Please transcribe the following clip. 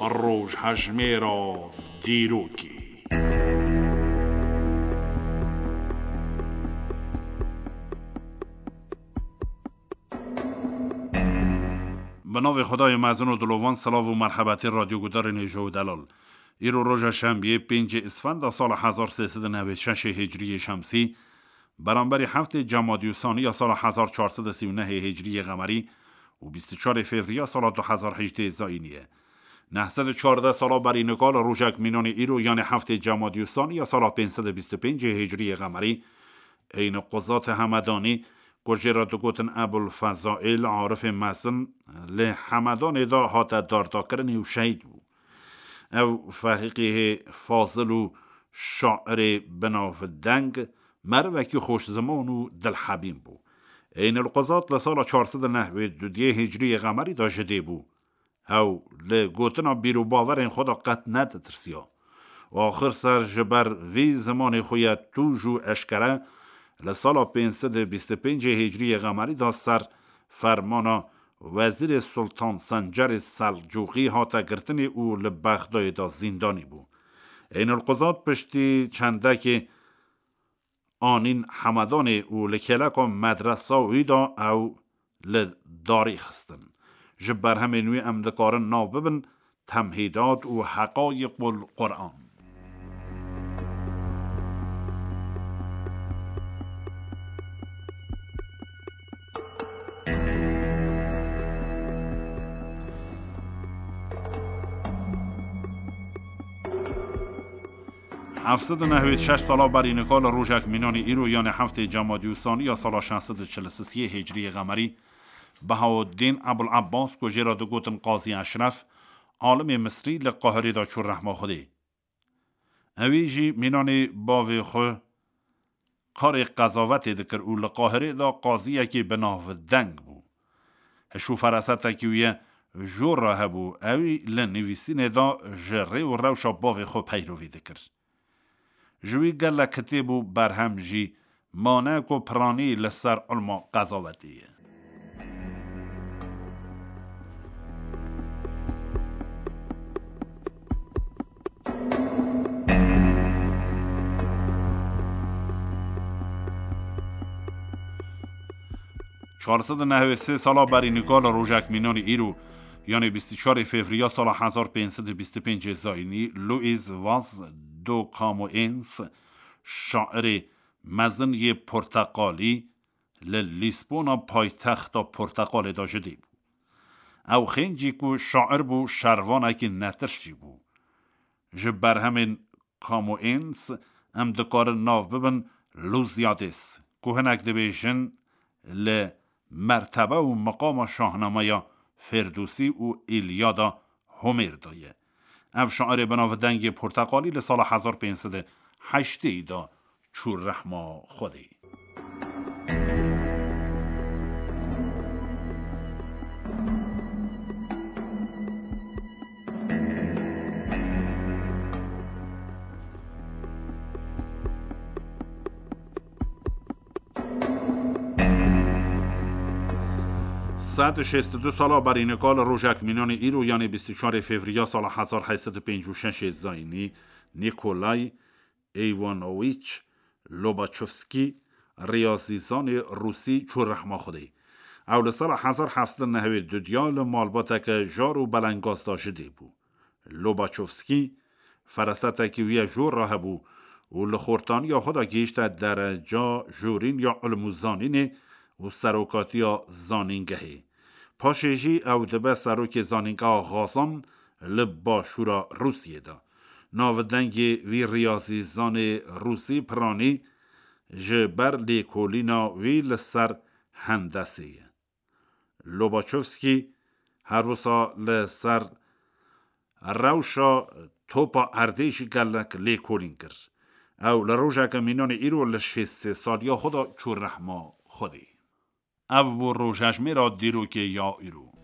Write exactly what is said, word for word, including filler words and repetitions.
Rojhejmêra dîrokê. Bi navê Xwedayê mezin û dilovan, silav û merhebetê radyogudarên hêja û delal. Îro roja şembiyê, pêncê Îsfenda sala hezar sê sed û newê şeşê Hicriyê Şemsî, beramberî heftê Cemadî Saniya sala hezar çar sed û sî û nehê Hicriyê Qemerî û bîst û çarê Fevriya sala du hezar hejdê Zayînî ye. Neh sed û çardeh sala berî nika li rojek mînanê îro, yanê heftê Cemadî Saniya sala pênc sed û bîst û pêncê Hicriyê Qemerî, Eynî Quzatê Hemedanî, ku jê re digotin Ebul Fezaîl, arifê mezin, li Hemedanê de hate dardakirinê û şehîd bû. Ew fehîqîhê fazil û şairê binavdeng, merivekî xweşziman û dilhebîn bû. Eynî Quzat li sala çar sed û neh wê dudiyê Hicriyê Qemerî de ji dê bû. Ew li gotina bîr û bawerên xwe de qet neditirsiya. Axir ser ji ber vî zimanê xwe ye tûj û eşkere li sala pênc sed û bîst û pêncê Hicriyê Qemerî de ser fermana Wezîrê Sultan Sencerê Selcûqî hate girtinê û li Bexdayê de zîndanî bû. Eynî Quzat piştî çendekê anîn Hemedanê û li kêleka medresa wî de ew li darî xistin. Ji berhemên wî em dikarin nav bibin Temhîdat û Heqayîqul Quran. Heft sed û nehwêd şeş sala berî nika li rojek mînanî îro, yanê heftê Cemadî Saniya sala şeş sed û çil û sisiyê Hicriyê Qemerî, Behaudîn Ebul Ebbas, ku jê re digotin Qazî Eşref, alimê Misrî, li Qahirê de çû rehma Xwedê. Ewî jî mînanê bavê xwe karê qezavetê dikir û li Qahirê de qaziyekî bi nav deng bû. Hiş û ferasetekî wî ye jor re hebû, ewî li nivîsînê de ji rê û rewşa bavê xwe peyrovî dikir. Ji wî gelek kitêb û berhem jî mane ku piranî li ser ilma qezavetê ye. Çar sed û nehwêd sê sala berî nika li rojek mînanî îro, yanê bîst û çarê Fevriya sala hezar pênc sed û bîst û pêncê Zayînî, Louis Vaz do Camoens, şairê mezin yê porteqalî, li Lîsbona paytexta Porteqalê de ji dê bû. Ew xêncî ku şair bû, şervanekî netirs jî bû. Ji berhemên Camoens em dikarin nav bibin Lusiades, ku hinek dibêjin li mertebe û miqama şahnameya Ferdûsî û Îlyada Homêr de ye. Ev şairê binavdengê porteqalî li sala hezar pênc sed û heştê de çû rehma Xwedê. Sed û şêst û du sala berî nika li rojek mînanê îro, yanê bîst û çarê Fevriya sala hezar heyt sed û pêncî û şeşê Zayînî, Nikolay Eywanowîç Lobaçovskî, riyazîzanê rûsî, çû rehma Xwedê. Ew li sala hezar heft sed û nehwêd û dudiya li malbateke jar û belengaz de ji dê bû. Lobaçovskî ferasetekî wî ye jor re hebû û li xortaniya xwe de gihîşte dereca jorîn ya ilm û zanînê û serokatiya zanîngehê. Paşê jî ew dibe serokê zanîngeha Xazan li başûra Rûsiyê de. Navdengê vî riyazîzanê rûsî piranî ji ber lêkolîna wî li ser hendesê ye. Lobaçovskî her wisa li ser rewşa topa erdê jî gelek lêkolîn kir. Ew li rojeke mînanê îro li şêst sê saliya xwe de çû rehma Xwedê. Ev bû rojhejmêra dîrokê ya îro.